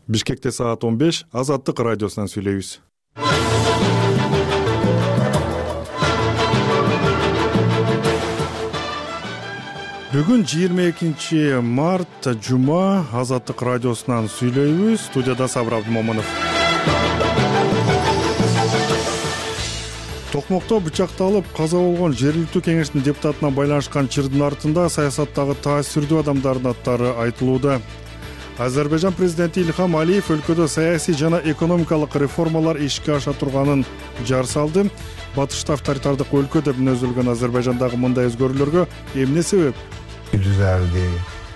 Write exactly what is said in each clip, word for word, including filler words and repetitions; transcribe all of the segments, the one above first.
Бишкекте саат он беш, Азаттык радиосунан сүйлөйбүз. Бүгүн жыйырма экинчи март, жума, Азаттык радиосунан сүйлөйбүз. Студияда Сабыр Абдымомунов. Токмокто бычакталып каза болгон жергиликтүү кеңештин депутатына байланышкан чырдын артында саясаттагы таасирдүү адамдардын аттары айтылууда. Азербайжан президенти Ильхам Алиев өлкөдө саясий жана экономикалык реформалар ишке аша турганын жар салды. Батышта авторитардык өлкө деп мүнөздөлгөн Азербайжандагы мындай өзгөрүүлөргө эмне себеп?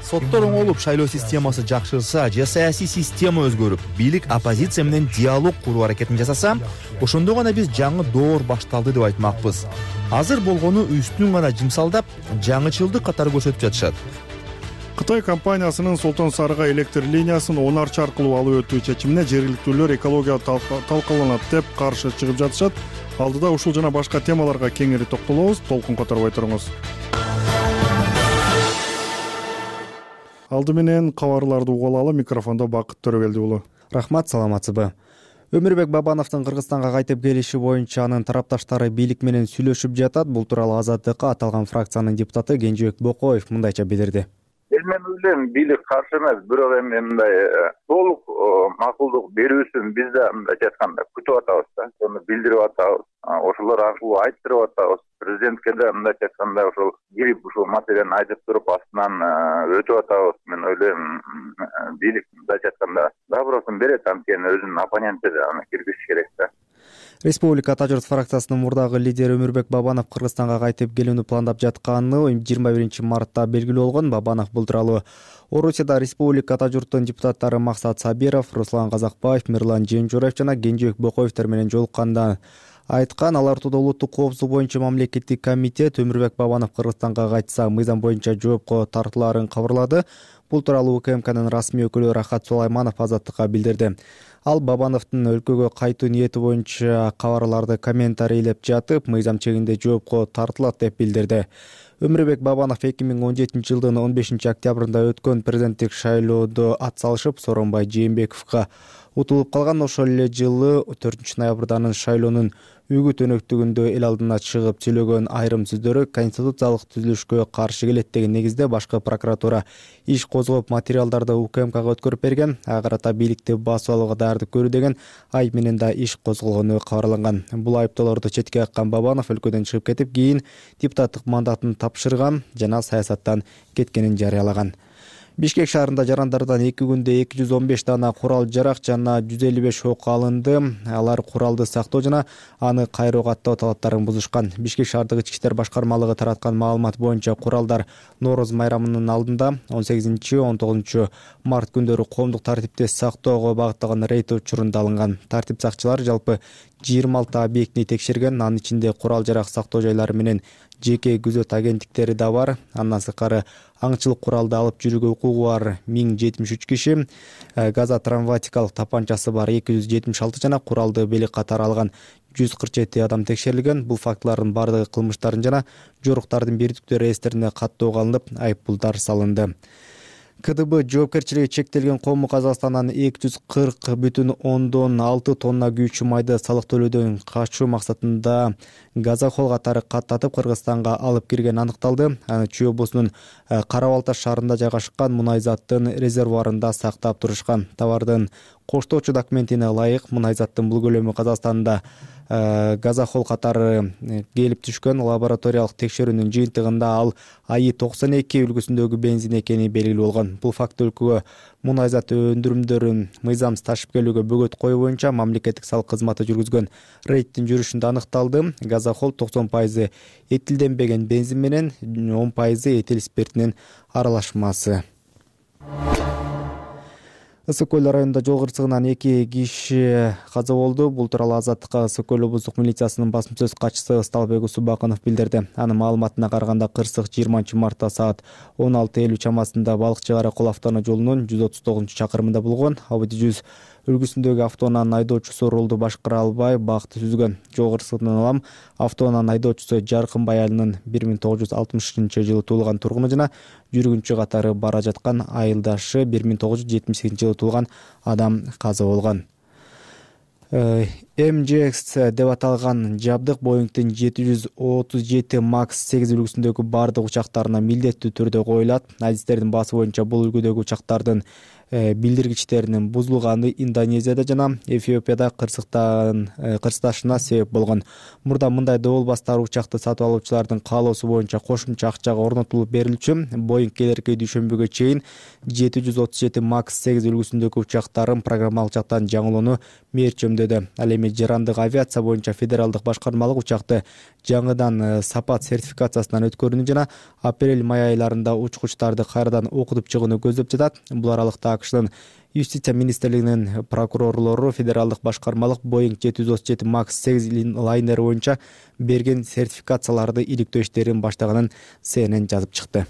Соттор оңолуп, шайлоо системасы жакшырса же саясий система өзгөрүп, бийлик оппозиция менен диалог куруу аракетин жасаса, ошондо гана биз жаңы доор башталды деп айтмакпыз. Азыр болгону үстүн гана жымсалдап, жаңычылдык катары көрсөтүп жатышат. Кытай компаниясынын Солтон Сарыга электр линиясын Онарчы аркылуу алып өтүү чечимине жергиликтүүлөр экология талкаланат деп каршы чыгып жатышат. Алдыда ушул жана башка темаларга кеңири токтолобуз. Толкун которбой туруңуз. Алды менен кабарларды угулалы. Микрофондо Бакыт Төрөгелди уулу. Рахмат, саламатсызбы? Өмүрбек Бабановдун Кыргызстанга кайтып келиши боюнча анын тарапташтары бийлик менен сүйлөшүп жатат. Бул тууралуу Азаттыкка аталган фракциянын депутаты Кенжебек Бокоев мындайча билдирди. Мен ойлойм, бийлик каршы эмес, бирок эми мындай толук макулдук берүүсүн биз да мындайча айтканда күтүп атабыз да. Ошону билдирип атабыз. Ошолор аркылуу айттырып атабыз. Президентке да мындайча айтканда ошол кирип ушул маселени айтып туруп астынан өтүп атабыз. Мен ойлойм, бийлик мындайча айтканда добросун берет, анткени өзүнүн оппоненти да аны киргизиш керек да. Республика Ата журт фракциясынын мурдагы лидери Өмүрбек Бабанов Кыргызстанга кайтып келүүнү пландап жатканы жыйырма биринчи мартта белгилүү болгон. Бабанов бул тууралуу Орусияда Республика Ата журттун депутаттары Максат Сабиров, Руслан Казакбаев, Мирлан Жемжураев жана Кенжебек Бокоевтер менен жолукканда айткан. Алар ортодо улуттук коопсуздук боюнча мамлекеттик комитет Өмүрбек Бабанов Кыргызстанга кайтса мыйзам боюнча жоопко тартылаарын кабарлады. Бул тууралуу УКМКнын расмий өкүлү Рахат Сулайманов Азаттыкка билдирди. Ал Бабановдун өлкөгө кайтуу ниети боюнча кабарларды комментарийлеп жатып, мыйзам чегинде жоопко тартылат деп билдирди. Өмүрбек Бабанов эки миң он жетинчи жылдын он бешинчи октябрында өткөн президенттик шайлоодо ат салышып, Сооронбай Жээнбековго утулуп калган. Ошол эле жылы төртүнчү ноябрда анын шайлоонун үгүт өнөктүгүндө эл алдына чыгып сүйлөгөн айрым сөздөрү конституциялык түзүлүшкө каршы келет деген негизде башкы прокуратура иш козгоп материалдарды УКМКга өткөрүп берген. Ага карата бийликти басып алууга даярдык көрүү деген айып менен да иш козголгону кабарланган. Бул айыптоолорду четке каккан Бабанов өлкөдөн чыгып кетип, кийин депутаттык мандатын тапшырган жана саясаттан кеткенин жарыялаган. Бишкек шаарында жарандардан эки күндө эки жүз он беш дана курал-жарак жана жүз элүү беш ок алынды. Алар куралды сактоо жана аны кайроо каттоо талаптарын бузушкан. Бишкек шаардык ички иштер башкармалыгы тараткан маалымат боюнча куралдар Нооруз майрамынын алдында он сегизинчи он тогузунчу март күндөрү коомдук тартипти сактоого багытталган рейд учурунда алынган. Тартип сакчылары жалпы жыйырма алты объектини текшерген. Анын ичинде курал-жарак сактоо жайлары менен жеке күзөт агенттиктери да бар. Андан сырткары аңчылык куралды алып жүрүүгө укугу бар миң жетимиш үч киши, газа травматикалык тапанчасы бар эки жүз жетимиш алты жана куралды белек катары алган жүз кырк жети адам текшерилген. Бул фактылардын бардыгы кылмыштардын жана жоруктардын бирдиктүү реестрине каттоого алынып, айыппулдар салынды. КДБ жоопкерчилиги чектелген коому Казакстандан эки жүз кырк бүтүн ондон алты тонна күйүүчү майды салык төлөөдөн качуу максатында газохол катары каттатып Кыргызстанга алып кирген аныкталды. Аны Чүй облусунун Кара Балта шаарында жайгашкан мунай заттын резервуарында сактап турушкан. Товардын коштоочу документине ылайык мунай заттын бул көлөмү Казакстанда газохол катары келип түшкөн. Лабораториялык текшерүүнүн жыйынтыгында ал АИ токсон эки үлгүсүндөгү бензин экени белгилүү болгон. Бул факт өлкөгө мунай зат өндүрүмдөрүн мыйзамсыз ташып келүүгө бөгөт коюу боюнча мамлекеттик салык кызматы жүргүзгөн рейдтин жүрүшүндө аныкталды. Газохол токсон пайызы этилденбеген бензин менен он пайызы этил спиртинин аралашмасы. Ысык көл районунда жол кырсыгынан эки киши каза болду. Бул тууралуу Азаттыкка Ысык көл облустук милициясынын басма сөз катчысы Ысталбек Усубакынов билдирди. Анын маалыматына караганда кырсык жыйырманчы мартта саат он алты элүү чамасында Балыкчы Кара Кол автоунаа жолунун жүз отуз тогузунчу чакырымында болгон. Audi жүз үлгүсүндөгү автоунаанын айдоочусу рулду башкара албай бакты түзгөн. Жогорусунан улам автоунаанын айдоочусу Жаркынбай Алинин бир миң тогуз жүз алтымышынчы жылы туулган тургуну жана жүргүнчү катары бара жаткан айылдашы бир миң тогуз жүз жетимиш сегизинчи жылы туулган адам каза болгон. эм джи экс деп аталган жабдык Боингдин жети жүз отуз жети макс сегиз үлгүсүндөгү бардык учактарына милдеттүү түрдө коюлат. Адистердин баасы боюнча бул үлгүдөгү учактардын билдиргичтеринин бузулганы Индонезияда жана Эфиопияда кырсыктан кырсыкташына себеп болгон. Мурда мындай доболбастар учакты сатып алуучулардын каалоосу боюнча кошумча акчага орнотулуп берилчү. Боинг келерки дүйшөмбүгө чейин жети жүз отуз жети макс сегиз үлгүсүндөгү учактарын программалык жактан жаңылоону мээрчемдөдө. Ал эми жарандык авиация боюнча федералдык башкармалык учакты жаңыдан сапат сертификациясынан өткөрүүнү жана апрель-май айларында учкучтарды кайрадан окутуп чыгууну көздөп жатат. Бул аралыкта АКШнын Юстиция министрлигинин прокурорлору федералдык башкармалык Боинг жети жүз отуз жети макс сегиз лайнери боюнча берген сертификацияларды иликтөө иштерин баштаганын Си Эн Эн жазып чыкты.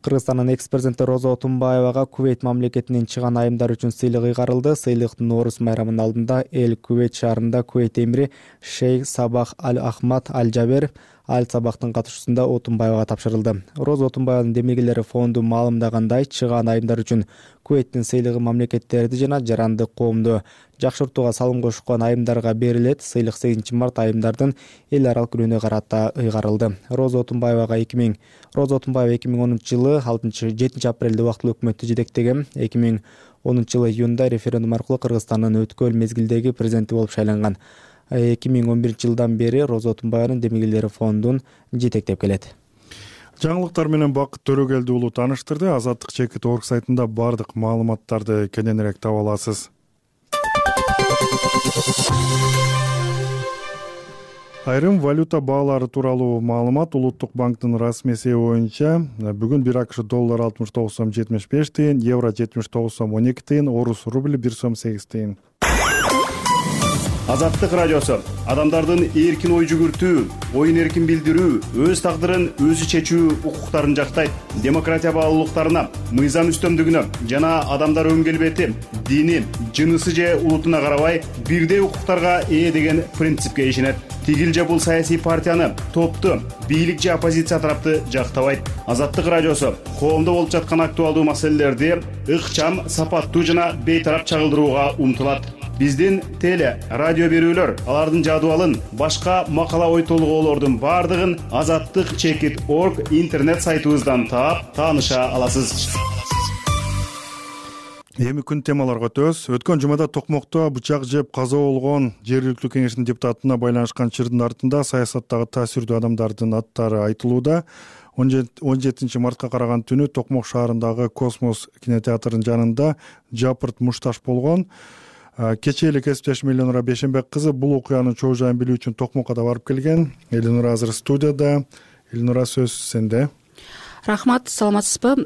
Кыргызстандын экс-президенти Роза Отунбаевага Кувейт мамлекетинен чыган айымдар үчүн сыйлык ыйгарылды. Сыйлык Нооруз майрамынын алдында Эл Кувейт шаарында Кувейт эмири Шейх Сабах Аль-Ахмад Аль-Жабер Аль-Сабахтын катышуусунда Отунбаевага тапшырылды. Роза Отунбаеванын демилгелери фонду маалымдагандай, чыган айымдар үчүн Кувейттин сыйлыгы мамлекеттерди жана жарандык коомду жакшыртууга салым кошкон айымдарга берилет. Сыйлык сегизинчи март айымдардын эл аралык күнүнө карата ыйгарылды. Роза Отунбаевага эки миң Роза Отунбаева эки миң онунчу жылы алтынчы жетинчи апрелде убактылуу өкмөттү жетектеген. эки миң онунчу жылы июнда референдум аркылуу Кыргызстандын өткөл мезгилдеги президенти болуп шайланган. эки миң он биринчи жылдан бери Роза Отунбаеванын демилгелери фондун жетектеп келет. Жаңылыктар менен Бакыт Төрөгелди уулу тааныштырды. Азаттык чекит орг сайтында бардык маалыматтарды кененирээк таба аласыз. Айрым валюта баалары тууралуу маалымат. Улуттук банктын расмий эсеби боюнча бүгүн бир АКШ доллар алтымыш тогуз сом жетимиш беш тыйын, евро жетимиш тогуз сом он эки тыйын, орус рубли бир сом сегиз тыйын. Азаттык радиосу адамдардын эркин ой жүгүртүү, оюн эркин билдирүү, өз тагдырын өзү чечүү укуктарын жактайт. Демократия баалуулуктарына, мыйзам үстөмдүгүнө жана адамдар өн келбети, дини, жынысы же улутуна карабай бирдей укуктарга ээ деген принципке ишенет. Тигил же бул саясий партияны, топту, бийлик же оппозиция тарапты жактабайт. Азаттык радиосу коомдо болуп жаткан актуалдуу маселелерди ыкчам, сапаттуу жана бейтарап чагылдырууга умтулат. Биздин теле, радио берүүлөр, алардын жадыбалын, башка макала ой толгоолордун бардыгын азаттык чекит орг интернет сайтыбыздан таап, тааныша аласыз. Эми күн темаларга өтөбүз. Өткөн жумада Токмокто бычак жеп каза болгон жергиликтүү кеңештин депутатына байланышкан чырдын артында саясаттагы таасирдүү адамдардын аттары айтылууда. он жетинчи мартка караган түнү Токмок шаарындагы Космос кинотеатрынын жанында Жапырт мушташ болгон. Кечээ эле кесиптешим Элинура Бешенбек кызы бул окуянын чоо жайын билүү үчүн Токмокко да барып келген. Элинура азыр студияда. Элинура, сөз сенде. Рахмат, саламатсызбы?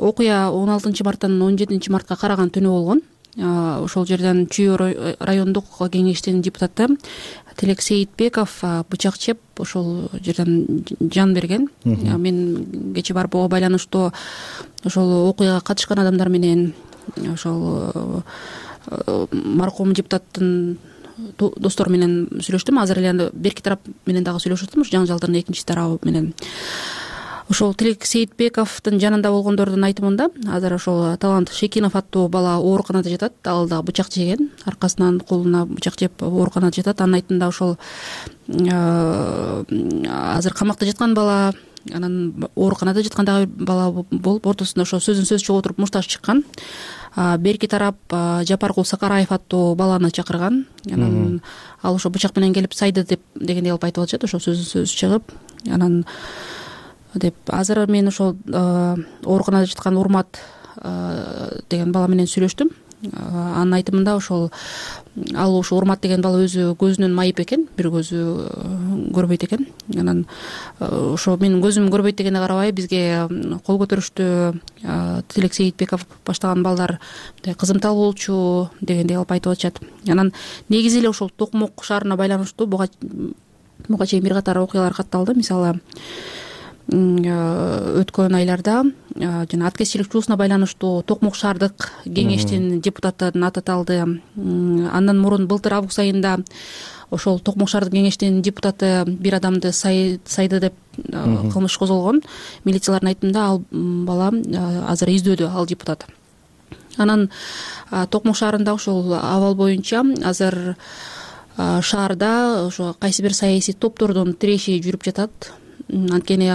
Окуя он алтынчы марттан он жетинчи мартка караган түнү болгон. Ошол жерден Чүй райондук кеңештин депутаты Тилек Сейитбеков бычак чеп ошол жерден жан берген. Мен кечээ барып ого байланыштуу ошол окуяга катышкан адамдар менен ошол маркум депутаттын достору менен сүйлөштүм. Азыр эле берки тарап менен дагы сүйлөшүп атам, ушу жаңжалдын экинчи тарабы менен. Ошол Тилек Сейитбековдун жанында болгондордун айтымында азыр ошол Талант Шекинов аттуу бала ооруканада жатат. Ал дагы бычак жеген, аркасынан колуна бычак жеп ооруканада жатат. Анын айтымында ошол азыр камакта жаткан бала, анан ооруканада жаткан дагы бала болуп, ортосунда ошо сөзүн сөз чыгып отуруп мушташ чыккан. Берки тарап Жапаркул Сакараев аттуу баланы чакырган. Анан ал ошо бычак менен келип сайды деп дегендей кылып айтып атышат. Ошо сөзүн сөз чыгып, анан деп азыр мен ошол ооруканада жаткан Урмат деген бала менен сүйлөштүм. Анын айтымында ошол ал ошо Урмат деген бала өзү көзүнүн майып экен, бир көзү көрбөйт экен. Анан ошо менин көзүм көрбөйт дегенге карабай бизге кол көтөрүштү. Тилек Сейитбеков баштаган балдар кызымтал болчу дегендей кылып айтып атышат. Анан негизи эле ошол Токмок шаарына байланыштуу буга буга чейин бир катар окуялар катталды. Мисалы өткөн айларда жана аткезчилик чуусуна байланыштуу Токмок шаардык кеңештин депутаттарын ататалды. Андан мурун былтыр август айында ошол Токмок шаардык кеңештин депутаты бир адамды сайды деп кылмыш козголгон. Милициялардын айтымында ал бала азыр издөөдө, ал депутат. Анан Токмок шаарында ошол абал боюнча азыр шаарда ошо кайсы бир саясий топтордун тиреши жүрүп жатат. Анткени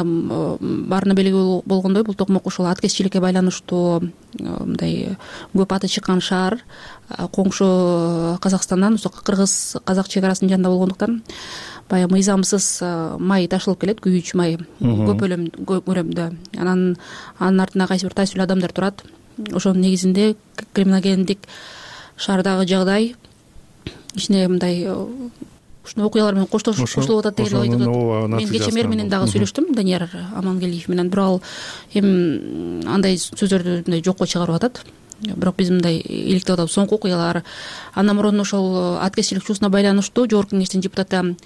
баарына белгилүү болгондой, бул Токмок ушул аткезчиликке байланыштуу мындай көп аты чыккан шаар, коңшу Казакстандан, кыргыз казак чек арасынын жанында болгондуктан баягы мыйзамсыз май ташылып келет, күйүүчү май көп көлөмдө. Анан анын артында кайсы бир таасирлүү адамдар турат. Ошонун негизинде криминогендик шаардагы жагдай ичине мындай ушундай окуялар менен кошулуп атат деген ой айтып. Мен кечээ мэр менен дагы сүйлөштүм, Данияр Амангелиев менен, бирок ал эми андай сөздөрдү мындай жокко чыгарып атат. Бирок биз мындай иликтеп атабыз соңку окуялар. Андан мурун ошол аткезчилик чуусуна байланыштуу Жогорку кеңештин депутаты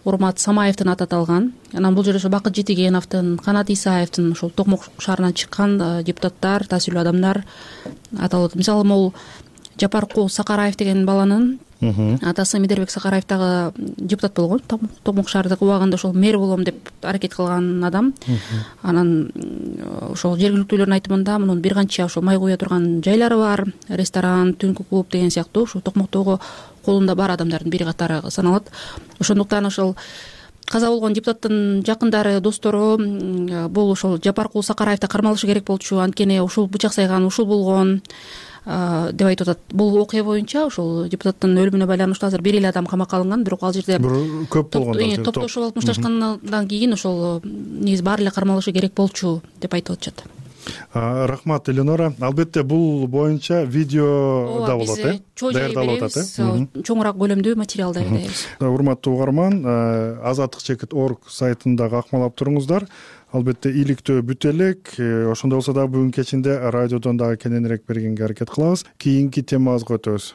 Урмат Самаевдин аты аталган. Анан бул жерде ошо Бакыт Жетигеновдун, Канат Исаевдин, ошол Токмок шаарынан чыккан депутаттар, таасирлүү адамдар аталып. Мисалы, могул Жапаркул Сакараев деген баланын атасы Медербек Сакараев дагы депутат болгон. Токмок шаардык убагында ошол мэр болом деп аракет кылган адам. Анан ошол жергиликтүүлөрдүн айтымында мунун бир канча ошол май куя турган жайлары бар, ресторан, түнкү клуб деген сыяктуу ушул Токмоктогу колунда бар адамдардын бири катары саналат. Ошондуктан ошол каза болгон депутаттын жакындары, достору бул ошол Жапаркул Сакараевди кармалышы керек болчу, анткени ушул бычак сайган ушул болгон деп айтып атат. Бул окуя боюнча ошол депутаттын өлүмүнө байланыштуу азыр бир эле адам камакка алынган, бирок ал жерде көп болгон, топтошуп алып мушташкандан кийин ошол негизи баары эле кармалышы керек болчу деп айтып атышат. Рахмат, Эленора. Албетте бул боюнча видео да болот, э? Даярдалып атат, э? Чоңураак көлөмдүү материал даярдайбыз. Урматтуу угарман, азаттык чекит точка орг сайтында акмалап туруңуздар. Албетте иликтөө бүтө элек. Ошондой болсо дагы бүгүн кечинде радиодон дагы кененирээк бергенге аракет кылабыз. Кийинки темабызга өтөбүз.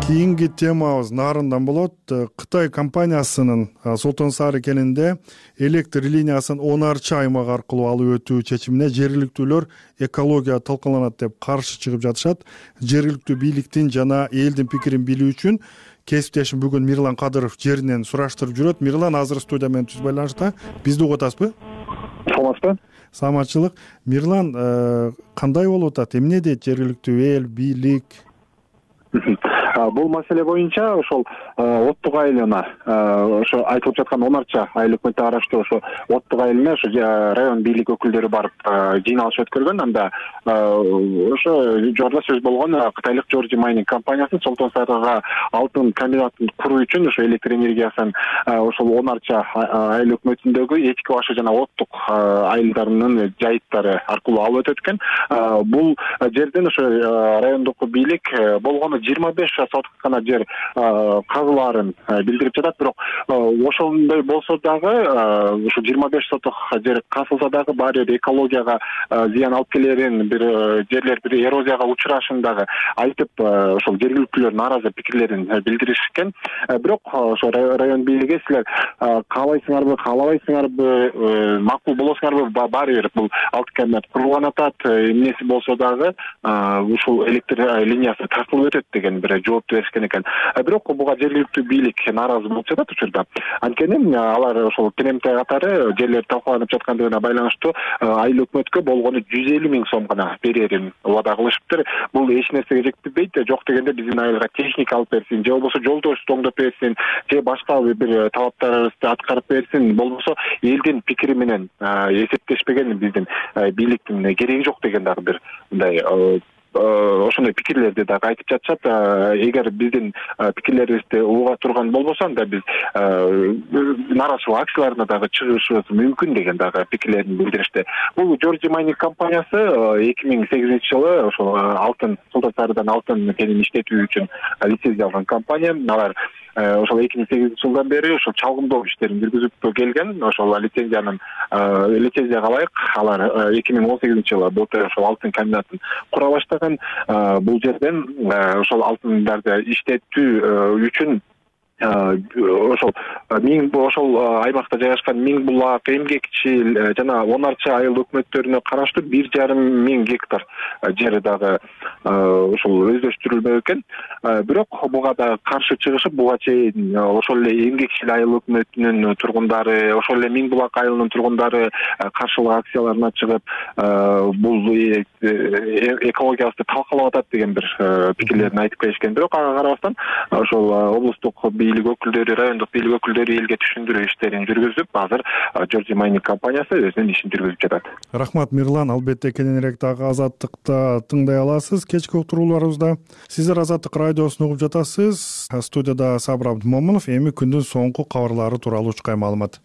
Кийинки темабыз нарындан болот. Кытай компаниясынын Солтон Сары кенинде электр линиясын он арчы аймак аркылуу алып өтүү чечимине жергиликтүүлөр экология талкаланат деп каршы чыгып жатышат. Жергиликтүү бийликтин жана элдин пикирин билүү үчүн кесиптешим бүгүн Мирлан Кадыров жеринен сураштырып жүрөт. Мирлан азыр студия менен түз байланышта. Бизди угуп атасызбы? Саламатсызбы? Саламатчылык. Мирлан, кандай болуп атат? Эмне дейт жергиликтүү эл, бийлик? Бул маселе боюнча ошол Оттук айылына ошо айтылып жаткан он арча айыл өкмөтүнө караштуу ошо Оттук айылына ошо район бийлик өкүлдөрү барып жыйналыш өткөргөн. Анда ошо жордо сөз болгон кытайлык Джорджи Майнинг компаниясы Солтон Сарыга алтын комбинатын куруу үчүн ошо электр энергиясын ошол он арча айыл өкмөтүндөгү эчки башы жана Оттук айылдарынын жайыттары аркылуу алып өтөт экен. Бул жерден ошо райондук бийлик болгону жыйырма беш соток гана жер казылаарын билдирип жатат. Бирок ошондой болсо дагы ушу жыйырма беш соток жер казылса дагы баары бир экологияга зыян алып келерин, бир жерлер бир эрозияга учурашын дагы айтып, ошол жергиликтүүлөр нааразы пикирлерин билдиришкен. Бирок ошо район бийлиги силер каалайсыңарбы, каалабайсыңарбы, макул болосуңарбы, баары бир бул алтын комбинат курулган атат, эмнеси болсо дагы ушул электр линиясы тартылып өтөт деген бир жооп беришкен экен. Бирок буга жергиликтүү бийлик нааразы болуп жатат учурда. Анткени алар ошол кенемте катары жерлер талкаланып жаткандыгына байланыштуу айыл өкмөткө болгону жүз элүү миң сом гана берерин убада кылышыптыр. Бул эч нерсеге жетпейт. Жок дегенде биздин айылга техника алып берсин, же болбосо жолдошту оңдоп берсин, же башка бир талаптарыбызды аткарып берсин, болбосо элдин пикири менен эсептешпеген биздин бийликтин кереги жок деген дагы бир мындай ошондой пикирлерди дагы айтып жатышат. Эгер биздин пикирлерибизди уга турган болбосо, анда биз нааразычылык акцияларына дагы чыгышыбыз мүмкүн деген дагы пикирлерин билдиришти. Бул Джорджи Майнинг компаниясы эки миң сегизинчи жылы ошол алтын Солтон Сарыдан алтын кенин иштетүү үчүн лицензия алган компания. Алар ошол эки миң сегизинчи жылдан бери ошол чалгындоо иштерин жүргүзүп келген. Ошол лицензиянын лицензияга ылайык алар эки миң он сегизинчи жылы былтыр ошол алтын комбинатын кура баштаган. Бул жерден ошол алтындарды иштетүү үчүн ошол миң ошол аймакта жайгашкан Миң булак, Эмгекчил жана Онарча айыл өкмөттөрүнө караштуу бир жарым миң гектар жери дагы ошол өздөштүрүлмөк экен. Бирок буга да каршы чыгышып, буга чейин ошол эле Эмгекчил айыл өкмөтүнүн тургундары, ошол эле Миң булак айылынын тургундары каршылык акцияларына чыгып, бул экологиябызды талкалап атат деген бир пикирлерин айтып келишкен. Бирок ага карабастан ошол облустук бийлик өкүлдөрү, райондук бийлик өкүлдөрү элге түшүндүрүү иштерин жүргүзүп, азыр Georgia Mining компаниясы өзүнүн ишин жүргүзүп жатат. Рахмат Мирлан, албетте кененирээк дагы Азаттыкта тыңдай аласыз. Кечки уктурууларыбызда сиздер Азаттык радиосун угуп жатасыз. Студияда Сабыр Абдымомунов. Эми күндүн соңку кабарлары тууралуу учкай маалымат.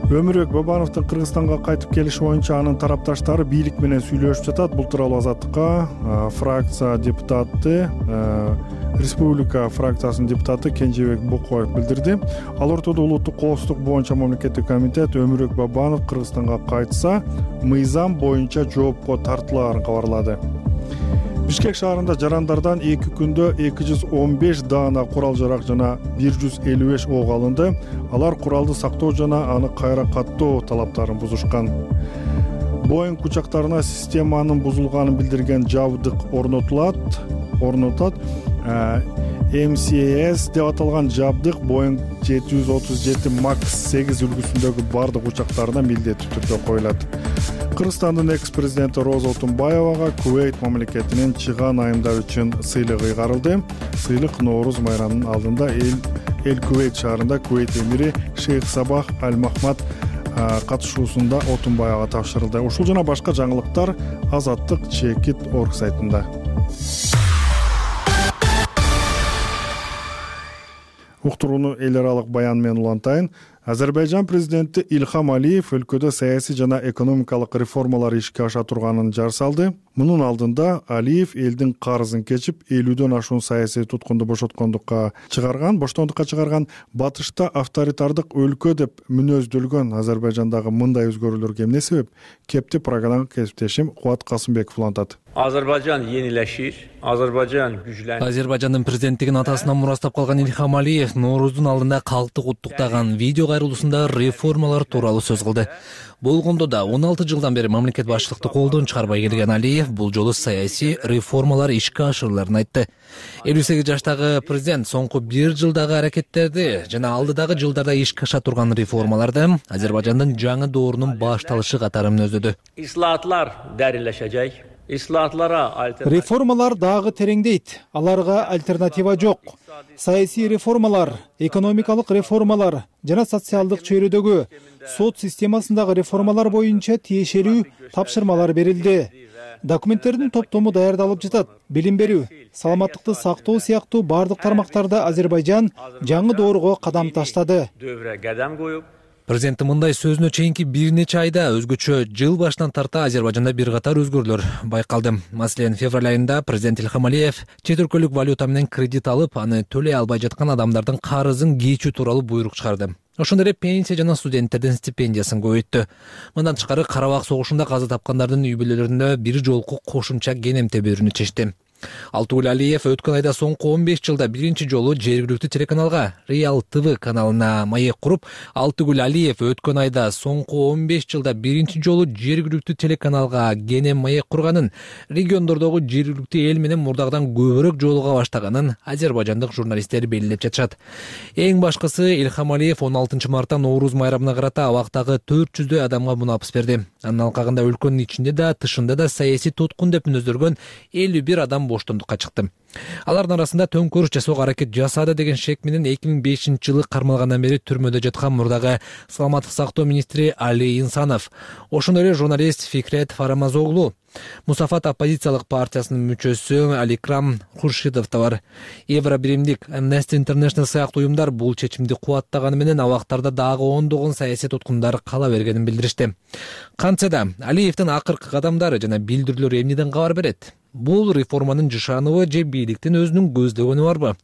Өмүрбек Бабановдун Кыргызстанга кайтып келиши боюнча анын тарапташтары бийлик менен сүйлөшүп жатат. Бул тууралуу Азаттыкка фракция депутаты, Республика фракциясынын депутаты Кенжебек Букоев билдирди. Ал ортодо улуттук коопсуздук боюнча мамлекеттик комитет Өмүрбек Бабанов Кыргызстанга кайтса, мыйзам боюнча жоопко тартылаарын кабарлады. Бишкек шаарында жарандардан эки күндө эки жүз он беш даана курал-жарак жана бир жүз элүү беш ок алынды. Алар куралды сактоо жана аны кайра каттоо талаптарын бузушкан. Боинг учактарына системанын бузулганын билдирген жабдык орнотулат. орнотот. эм си эс деп аталган жабдык Боинг жети жүз отуз жети макс сегиз үлгүсүндөгү бардык учактарына милдеттүү түрдө коюлат. Кыргызстандын экс-президенти Роза Отунбаевага Кувейт мамлекетинин чыган айымдар үчүн сыйлыгы ыйгарылды. Сыйлык Нооруз майрамынын алдында эл эл Кувейт шаарында Кувейт эмири Шейх Сабах Аль-Махмад катышуусунда Отунбаевага тапшырылды. Ушул жана башка жаңылыктар Азаттык чекит орг сайтында. Уктурууну эл аралык баян менен улантайын. Азербайжан президенти Ильхам Алиев өлкөдө саясий жана экономикалык реформалар ишке аша турганын жар салды. Мунун алдында Алиев элдин карызын кечип, элүүдөн ашуун саясий туткунду бошоткондукка чыгарган, боштондукка чыгарган. Батышта авторитардык өлкө деп мүнөздөлгөн Азербайжандагы мындай өзгөрүүлөргө эмне себеп? Кепти программага кесиптешим Кубат Касымбеков улантат. Azerbaycan yenileşir, Azerbaycan güçlenir. Азербайжандын президенттигин атасынан мурастап калган Ильхам Алиев Нооруздун алдында калкты куттуктаган видео кайрылуусунда реформалар тууралуу сөз кылды. Болгондо да он алты жылдан бери мамлекет башчылыкты колдон чыгарбай келген Алиев бул жолу саясий реформалар ишке ашырыларын айтты. элүү сегиз жаштагы президент соңку бир жылдагы аракеттерди жана алдыдагы жылдарда ишке аша турган реформаларды Азербайжандын жаңы доорунун башталышы катары мүнөздөдү. İslahatlar derinleşecek. Реформалар дагы тереңдейт. Аларга альтернатива жок. Саясий реформалар, экономикалык реформалар жана социалдык чөйрөдөгү сот системасындагы реформалар боюнча тиешелүү тапшырмалар берилди. Документтердин топтому даярдалып жатат. Билим берүү, саламаттыкты сактоо сыяктуу бардык тармактарда Азербайжан жаңы доорго кадам таштады. Президенттин мындай сөзүнө чейинки бир нече айда өзгөчө жыл башынан тарта Азербайжанда бир катар өзгөрүүлөр байкалды. Маселен, февраль айында президент Ильхам Алиев чет өлкөлүк валюта менен кредит алып, аны төлөй албай жаткан адамдардын карызын кечүү тууралуу буйрук чыгарды. Ошондой эле пенсия жана студенттердин стипендиясын көбөйттү. Мындан тышкары Карабак согушунда каза тапкандардын үй бүлөлөрүнө бир жолку кошумча кенемте берүүнү чечти. Алтыгүл Алиев өткөн айда соңку он беш жылда биринчи жолу жергиликтүү телеканалга Реал ТВ каналына маек куруп, Алтыгүл Алиев өткөн айда соңку он беш жылда биринчи жолу жергиликтүү телеканалга кенем маек курганын, региондордогу жергиликтүү эл менен мурдагыдан көбүрөөк жолуга баштаганын азербайжандык журналисттер белгилеп жатышат. Эң башкысы Ильхам Алиев он алтынчы мартта Нооруз майрамына карата абактагы төрт жүздөй адамга мунапыс берди. Анын алкагында өлкөнүн ичинде да, тышында да саясий туткун деп мүнөздөлгөн элүү бир адам боштондукка чыкты. Алардын арасында төңкөрүш жасоого аракет жасады деген шек менен эки миң бешинчи жылы кармалгандан бери түрмөдө жаткан мурдагы саламаттык сактоо министри Али Инсанов, ошондой эле журналист Фикрет Фарамазоглу, Мусафат оппозициялык партиясынын мүчөсү Аликрам Хуршидов да бар. Евро биримдик, Amnesty International сыяктуу уюмдар бул чечимди кубаттаганы менен абактарда дагы ондогон саясий туткундар кала бергенин билдиришти. Кантсе да Алиевдин акыркы кадамдары жана билдирүүлөрү эмнеден кабар берет? Бул реформанын жышаныбы же бийликтин өзүнүн көздөгөнү барбы?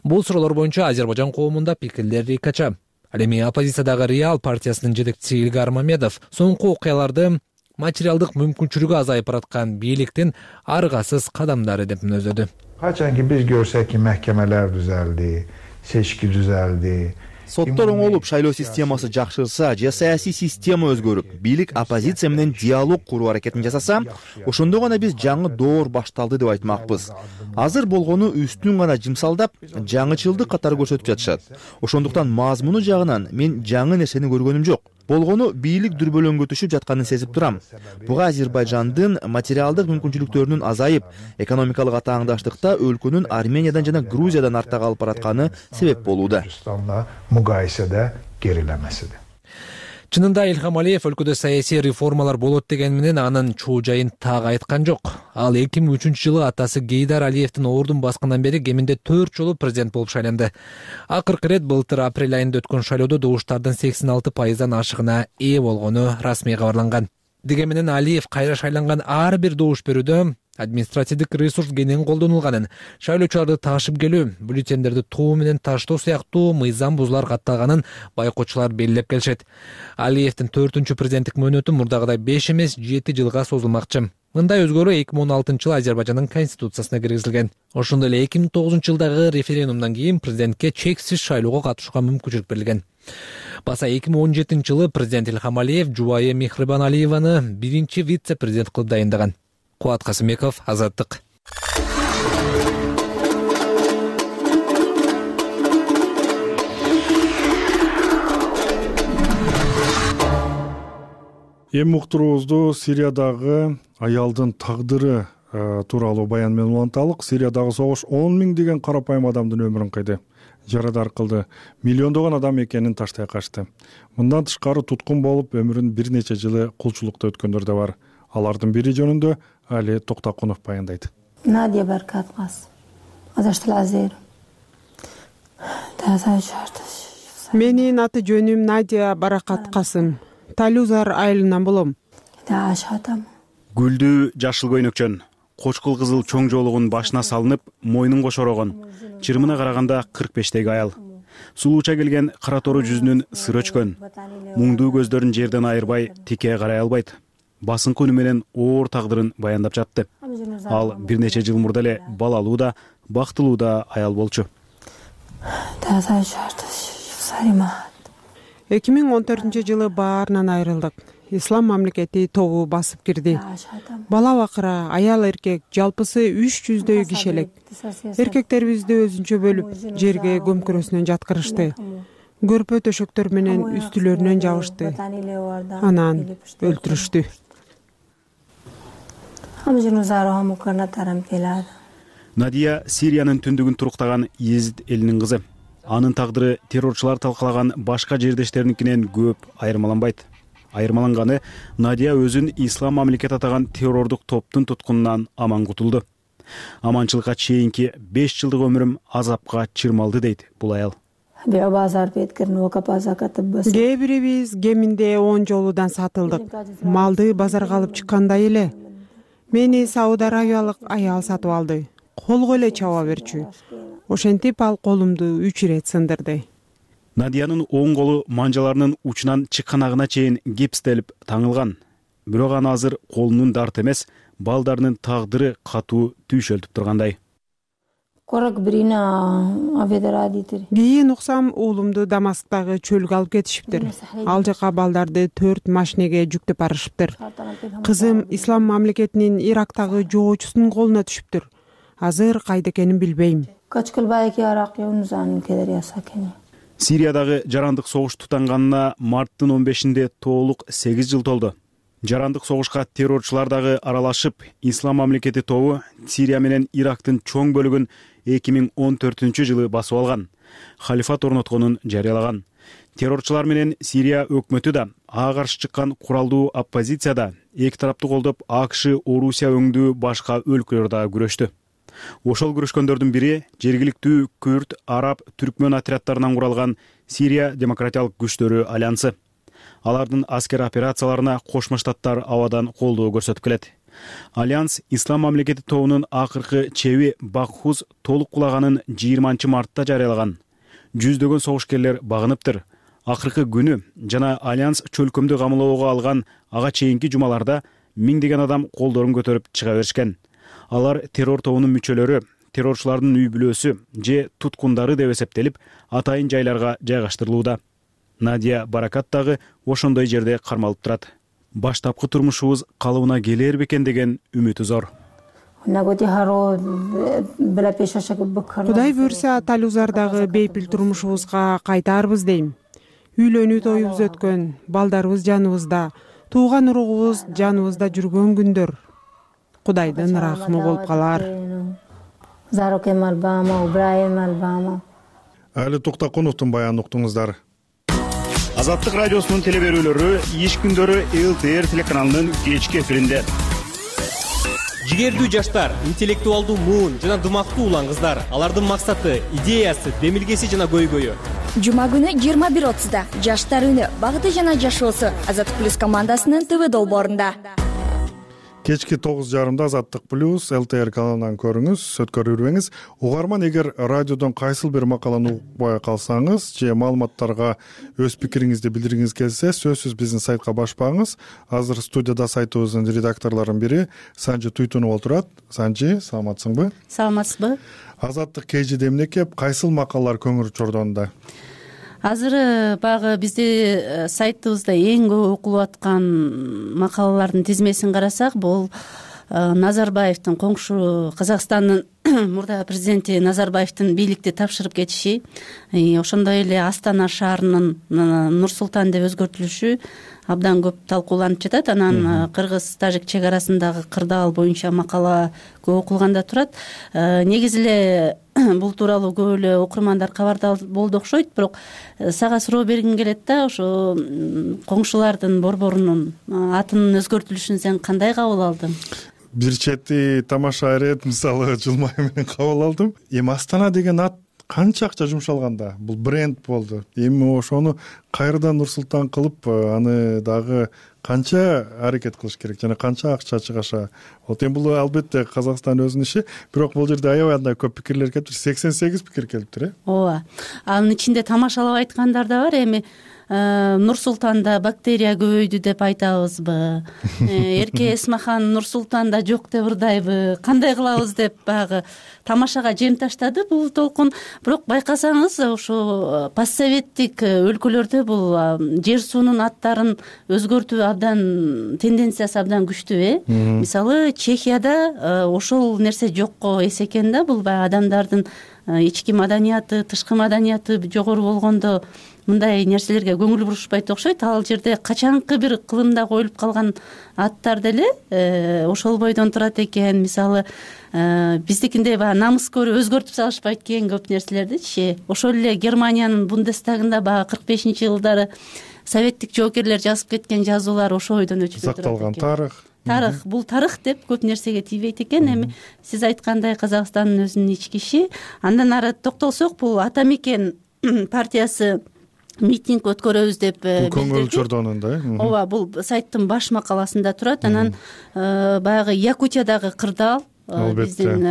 Бул суроолор боюнча Азербайжан коомунда пикирлер рикача. Ал эми оппозициядагы Реал партиясынын жетекчиси Илгар Мамедов соңку окуяларды материалдык мүмкүнчүлүгү азайып бараткан бийликтин аргасыз кадамдары деп мүнөздөдү. Качанки биз көрсөк ки махкемелер түзөлдү, seçki düzeldi. Соттор оңолуп, шайлоо системасы жакшырса же саясий система өзгөрүп, бийлик оппозиция менен диалог куруу аракетин жасаса, ошондо гана биз жаңы доор башталды деп айтмакпыз. Азыр болгону үстүн гана жымсалдап, жаңычылдык катары көрсөтүп жатышат. Ошондуктан мазмуну жагынан мен жаңы нерсени көргөнүм жок. Болгону бийлик дүрбөлөңгө түшүп жатканын сезип турам. Буга Азербайжандын материалдык мүмкүнчүлүктөрүнүн азайып, экономикалык атааңдаштыкта өлкөнүн Армениядан жана Грузиядан артта калып баратканы себеп болууда. Mukayesede gerilemesidir. Чынында Илхам Алиев өлкөдө саясий реформалар болот деген менен анын чуу жайын так айткан жок. Ал эки миң үчүнчү жылы атасы Гейдар Алиевдин ордун баскандан бери кеминде төрт жолу президент болуп шайланды. Акыркы ирет былтыр апрель айында өткөн шайлоодо добуштардын сексен алты пайыздан ашыгына ээ болгону расмий кабарланган. Деге менен Алиев кайра шайланган ар бир добуш берүүдө административдик ресурс кенен колдонулганын, шайлоочуларды ташып келүү, бюллетендерди тоо менен таштоо сыяктуу мыйзам бузуулар катталганын байкоочулар белгилеп келишет. Алиевдин төртүнчү президенттик мөөнөтү мурдагыдай беш эмес жети жылга созулмакчы. Мындай өзгөрүү эки миң он алтынчы жылы Азербайжандын конституциясына киргизилген. Ошондой эле эки миң тогузунчу жылдагы референдумдан кийин президентке чексиз шайлоого катышууга мүмкүнчүлүк берилген. Баса эки миң он жетинчи жылы президент Илхам Алиев жубайы Мехрибан Алиеваны биринчи вице-президент кылып дайындаган. Куат Касымбеков, Азаттык. Эми уктуруубузду Сириядагы аялдын тагдыры тууралуу баян менен уланталык. Сириядагы согуш он миңдеген карапайым адамдын өмүрүн кыйды, жарадар кылды, миллиондогон адам экенин таштай качты. Мындан тышкары туткун болуп, өмүрүн бир нече жылы кулчулукта өткөндөр да бар. Алардын бири жөнүндө Али Токтакунов баяндайт. Надя Баркатмас. Азаштылазер. Менин аты жөнүм Надя Баракаткасым. Талюзар айылынан болом. Гүлдүү жашыл көйнөкчөн, кочкул кызыл чоң жоолугун башына салынып, мойнун кошорогон, чырымына караганда кырк бештеги аял. Сулууча келген кара тору жүзүнүн сыр өчкөн, муңдуу көздөрүн жерден айырбай тике карай албайт. Басыңкы үнү менен оор тагдырын баяндап жатты. Ал бир нече жыл мурда эле балалуу да, бактылуу да аял болчу. эки миң он төртүнчү жылы баарынан айрылдык. Ислам мамлекети тобу басып кирди. Бала бакыра, аял эркек жалпысы үч жүздөй киши элек. Эркектерибизди өзүнчө бөлүп, жерге көмкөрөсүнөн жаткырышты. Көрпө төшөктөр менен үстүлөрүнөн жабышты. Анан өлтүрүштү. Надия Сириянын түндүгүн туруктаган Езид элинин кызы. Анын тагдыры террорчулар талкалаган башка жердештериникинен көп айырмаланбайт. Айырмаланганы Надия өзүн ислам мамлекет атаган террордук топтун туткунунан аман кутулду. Аманчылыкка чейинки беш жылдык өмүрүм азапка чырмалды дейт бул аял. Кээ бирибиз кеминде он жолудан сатылдык. Малды базарга алып чыккандай эле. Мени Сауд Арабиялык аял сатып алды. Колго эле чаба берчү. Ошентип ал колумду үч ирет сындырды. Надиянын оң колу манжаларынын учунан чыкканагына чейин гипстелип таңылган. Бирок аны азыр колунун дарты эмес, балдарынын тагдыры катуу түйшөлтүп тургандай. Кийин уксам уулумду Дамасктагы чөлгө алып кетишиптир. Ал жака балдарды төрт машинеге жүктөп барышыптыр. Кызым ислам мамлекетинин Ирактагы жоочусунун колуна түшүптүр. Азыр кайда экенин билбейм. Сириядагы жарандык согуш тутанганына марттын он бешинде толук сегиз жыл толду. Жарандык согушка террорчулар дагы аралашып, ислам мамлекети тобу Сирия менен Ирактын чоң бөлүгүн эки миң он төртүнчү жылы басып алган, халифат орнотконун жарыялаган. Террорчулар менен Сирия өкмөтү да, ага каршы чыккан куралдуу оппозиция да, эки тараптуу колдоп АКШ, Орусия өңдүү башка өлкөлөр да күрөштү. Ошол күрөшкөндөрдүн бири жергиликтүү күрд, араб, түркмөн отрядтарынан куралган Сирия демократиялык күчтөрү альянсы. Алардын аскер операцияларына Кошмо Штаттар абадан колдоо көрсөтүп келет. Альянс Ислам мамлекети тобунун акыркы чеби Бакхуз толук кулаганын жыйырманчы мартта жарыялаган. Жүздөгөн согушкерлер багыныптыр. Акыркы күнү жана Альянс чөлкөмдү камылоого алган ага чейинки жумаларда миңдеген адам колдорун көтөрүп чыга беришкен. Алар террор тобунун мүчөлөрү, террорчулардын үй бүлөсү же туткундары деп эсептелип, атайын жайларга жайгаштырылууда. Надия Баракат дагы ошондой жерде кармалып турат. Баштапкы турмушубуз калыбына келер бекен деген үмүтү зор. Кудай буйрса Талузардагы бейпил турмушубузга кайтаарбыз дейм. Үйлөнүү тоюбуз өткөн, балдарыбыз жаныбызда, тууган уругубуз жаныбызда жүргөн күндөр. Кудайдын рахмы болуп калар. Али Туктакуновдун баянын уктуңуздар. Азаттык радиосунун телеберүүлөрү иш күндөрү эл тэ эр телеканалынын кечки эфиринде. Жигердүү жаштар, интеллектуалдуу муун жана дымактуу улан кыздар, алардын максаты, идеясы, демилгеси жана көйгөйү. Жума күнү жыйырма бир отузда жаштар үнү, багыты жана жашоосу Азаттык плюс командасынын ТВ долбоорунда. Кечки тогуз жарымда Азаттык плюс эл тэ эр каналынан көрүңүз, өткөрүрбөңүз. Угарман, эгер радиодон кайсыл бир макаланы укпай калсаңыз же маалыматтарга өз пикириңизди билдиргиңиз келсе, сөзсүз биздин сайтка башпаңыз. Азыр студияда сайтыбыздын редакторлорунун бири Санжы Туйтунов отурат. Санжы, саламатсыңбы? Саламатсызбы? Азаттык кежиде эмне кеп, кайсыл макалалар көңүл чордонда? Азыр багы бизди сайтыбызда эң көп окулуп аткан макалалардын тизмесин карасак, бул Назарбаевдин коңшу Казакстандын мурдагы президенти Назарбаевдин бийликти тапшырып кетиши, ошондой эле Астана шаарынын Нур-Султан деп өзгөртүлүшү абдан көп талкууланып жатат. Анан кыргыз-тажик чек арасындагы кырдаал боюнча макала көп окулганда турат. Негизи эле бул тууралуу көп эле окурмандар кабардар болду окшойт, бирок сага суроо бергим келет да, ошо коңшулардын борборунун атынын өзгөртүлүшүн сен кандай кабыл алдың? Бир чети тамаша ирет, мисалы жылмай менен кабыл алдым. Эми Астана деген ат канча акча жумшалганда, бул бренд болду. Эми ошону кайрадан Нур-Султан кылып, аны дагы канча аракет кылыш керек жана канча акча чыгаша. Вот эми бул албетте Казакстан өзүнүн иши, бирок бул жерде аябай андай көп пикирлер келиптир. сексен сегиз пикир келиптир, э? Ооба. Анын ичинде тамашалап айткандар да бар. Эми Нур-Султанда бактерия көбөйдү деп айтабызбы? Эрке Эсмахан Нур-Султанда жок деп ырдайбы? Кандай кылабыз деп багы тамашага жем таштады бул толкун. Бирок байкасаңыз, ошо постсоветтик өлкөлөрдө бул жер суунун аттарын өзгөртүү абдан тенденциясы абдан күчтүү, э? Мисалы Чехияда ошол нерсе жокко эс экен да, бул баягы адамдардын ички маданияты, тышкы маданияты жогору болгондо мындай нерселерге көңүл бурушпайт окшойт. Ал жерде качанкы бир кылымда коюлуп калган аттар деле ошол бойдон турат экен. Мисалы биздикинде баягы намыскөр өзгөртүп салышпайт экен көп нерселердичи. Ошол эле Германиянын Бундестагында баягы кырк бешинчи жылдары советтик жоокерлер жазып кеткен жазуулар ошол бойдон өчүп турат экен. Сакталган тарых. Тарых, бул тарых деп көп нерсеге тийбейт экен. Эми сиз айткандай Казакстандын өзүнүн ички иши. Андан ары токтолсок, бул Ата Мекен партиясы митинг өткөрөбүз деп билдирди. Көңүл чордонунда, э? Ооба, бул сайттын баш макаласында турат. Анан баягы Якутиядагы кырдаал, биздин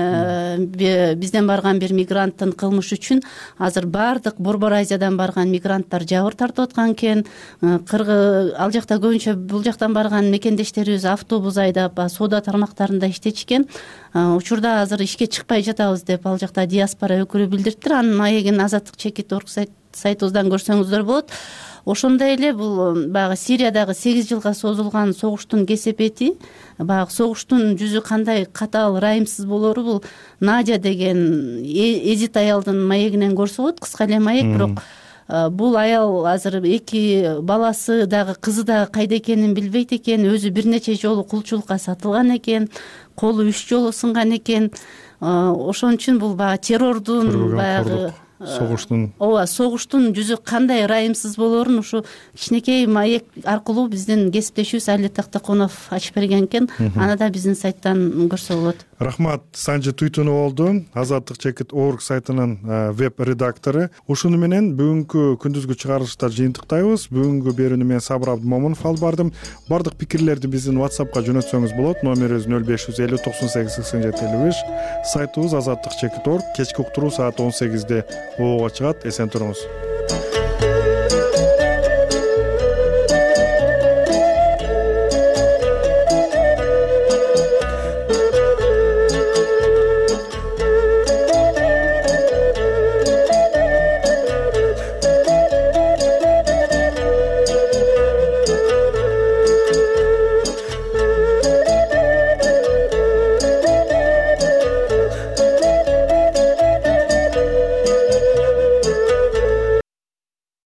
бизден барган бир мигранттын кылмышы үчүн азыр баардык Борбор Азиядан барган мигранттар жабыр тартып аткан экен. Кыргыз ал жакта көбүнчө бул жактан барган мекендештерибиз автобус айдап, соода тармактарында иштечкен. Учурда азыр ишке чыкпай жатабыз деп ал жакта диаспора өкүлү билдириптир. Анын маегин Азаттык чекит орг сайтыбыздан көрсөңүздөр болот. Ошондой эле бул баягы Сириядагы сегиз жылга созулган согуштун кесепети, баягы согуштун жүзү кандай катаал, ырайымсыз болору бул Надя деген эзит аялдын маегинен көрсө болот. Кыска эле маек, бирок бул аял азыр эки баласы дагы, кызы дагы кайда экенин билбейт экен. Өзү бир нече жолу кулчулукка сатылган экен, колу үч жолу сынган экен. Ошон үчүн бул баягы террордун, баягы согуштун ооба согуштун жүзү кандай ырайымсыз болоорун ушу кичинекей маек аркылуу биздин кесиптешибиз Али Тактакунов ачып берген экен. Аны да биздин сайттан көрсө болот. рахмат. Санжы Туйтунов болду, азаттык чекит орг сайтынын веб редактору. Ушуну менен бүгүнкү күндүзгү чыгарылышта жыйынтыктайбыз. Бүгүнкү берүүнү мен Сабыр Абдымомунов алып бардым. Бардык пикирлерди биздин WhatsAppка жөнөтсөңүз болот. Номерибиз нөл беш жүз элүү токсон сегиз сексен жети элүү беш. Сайтыбыз азаттык чекит орг. Кечки уктуруу саат он сегизде обого чыгат. Эсен туруңуз.